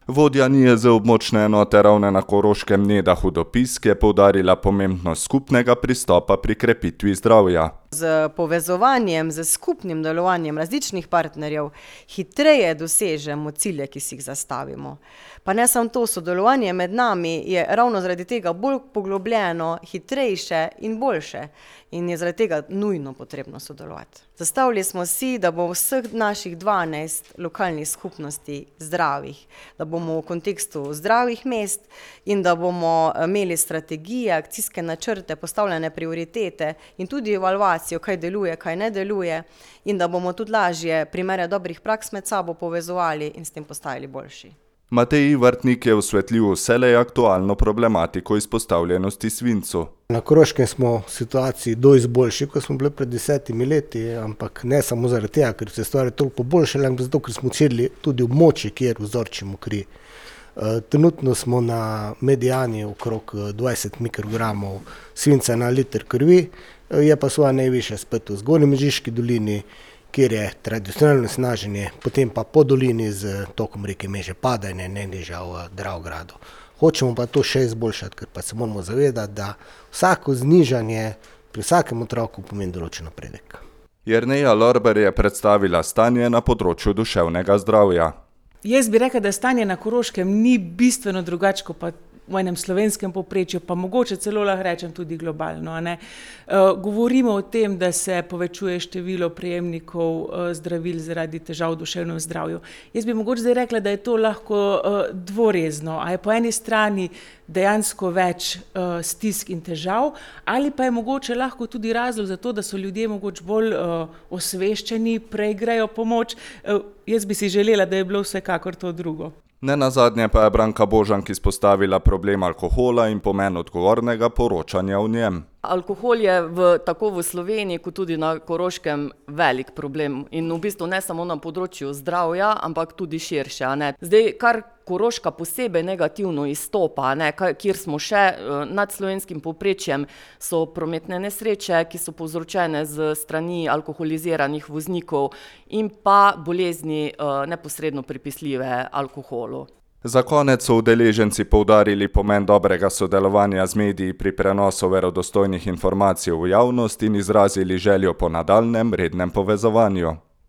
Vodja NIJZ območne enote Ravne na Koroškem Neda Hudopisk je poudarila pomembnost skupnega pristopa pri krepitvi zdravja. Z povezovanjem, z skupnim delovanjem različnih partnerjev hitreje dosežemo cilje, ki si jih zastavimo. Pa ne samo to, sodelovanje med nami je ravno zaradi tega bolj poglobljeno, hitrejše in boljše. In je zaradi tega nujno potrebno sodelovati. Zastavili smo si, da bo vseh naših 12 lokalnih skupnosti zdravih, da bomo v kontekstu zdravih mest in da bomo imeli strategije, akcijske načrte, postavljene prioritete in tudi evalvacijo, kaj deluje, kaj ne deluje, in da bomo tudi lažje primere dobrih praks med sabo povezovali in s tem postajali boljši. Matej Ivartnik je osvetlil vselej aktualno problematiko izpostavljenosti svincu. Na Koroškem smo v situaciji dosti boljši, kot smo bili pred 10 leti, ampak ne samo zaradi tega, ker se stvari toliko poboljšale, ampak zato, ker smo odširili tudi območje, kjer vzorčimo kri. Trenutno smo na medijani okrog 20 mikrogramov svinca na liter krvi, je pa svoja najvišja spet v Zgornji Mežiški dolini, kjer je tradicionalno snaženje, potem pa po dolini z tokom reke Meže padanje najnižja v Dravogradu. Hočemo pa to še izboljšati, ker pa se moramo zavedati, da vsako znižanje pri vsakem otroku pomeni določen napredek. Jerneja Lorber je predstavila stanje na področju duševnega zdravja. Jaz bi rekla, da stanje na Koroškem ni bistveno drugače kot pa v enem slovenskem povprečju, pa mogoče celo lahko rečem tudi globalno. Govorimo o tem, da se povečuje število prejemnikov zdravil zaradi težav v duševnem zdravju. Jaz bi mogoče zdaj rekla, da je to lahko dvorezno, a je po eni strani dejansko več stisk in težav, ali pa je mogoče lahko tudi razlog za to, da so ljudje mogoče bolj osveščeni, prej grejo pomoč. Jaz bi si želela, da je bilo vsekakor to drugo. Nenazadnje pa je Branka Božank izpostavila problem alkohola in pomen odgovornega poročanja o njem. Alkohol je tako v Sloveniji kot tudi na Koroškem velik problem in v bistvu ne samo na področju zdravja, ampak tudi širše. Zdaj, kar Koroška posebej negativno izstopa, kjer smo še nad slovenskim povprečjem, so prometne nesreče, ki so povzročene z strani alkoholiziranih voznikov in pa bolezni neposredno pripisljive alkoholu. Za konec so udeleženci poudarili pomen dobrega sodelovanja z mediji pri prenosu verodostojnih informacij v javnost in izrazili željo po nadaljnjem rednem povezovanju.